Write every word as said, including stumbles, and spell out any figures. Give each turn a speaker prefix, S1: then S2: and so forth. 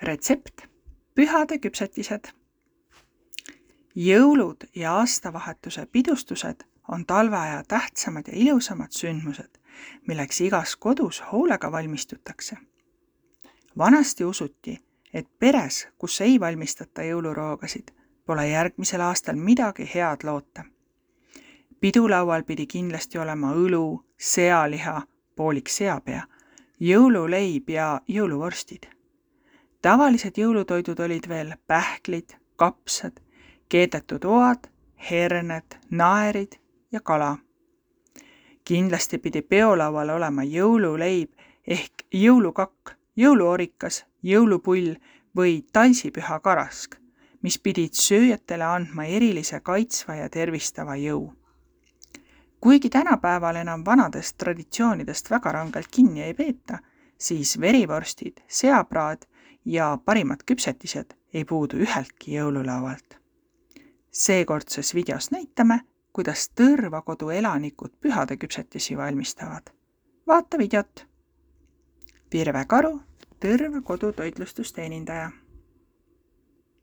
S1: Retsept: pühade küpsetised. Jõulud ja aastavahetuse pidustused on talveaja tähtsamad ja ilusamad sündmused, milleks igas kodus hoolega valmistutakse. Vanasti usuti, et peres, kus ei valmistata jõuluroogasid, pole järgmisel aastal midagi head loota. Pidulaual pidi kindlasti olema õlu, sealiha, poolik seapea, jõululeib ja jõuluvorstid. Tavalised jõulutoidud olid veel pähklid, kapsad, keedetud oad, herned, naerid ja kala. Kindlasti pidi peolaual olema jõululeib ehk jõulukakk, jõuluorikas, jõulupull või talsipüha karask, mis pidid sööjatele andma erilise kaitsva ja tervistava jõu. Kuigi tänapäeval enam vanadest traditsioonidest väga rangelt kinni ei peeta, siis verivorstid, seapraad ja parimad küpsetised ei puudu üheltki jõululaualt. Seekordses videos näitame, kuidas Tõrva kodu elanikud pühade küpsetisi valmistavad. Vaata videot! Virve Karu, Tõrva kodu toitlustusteenindaja.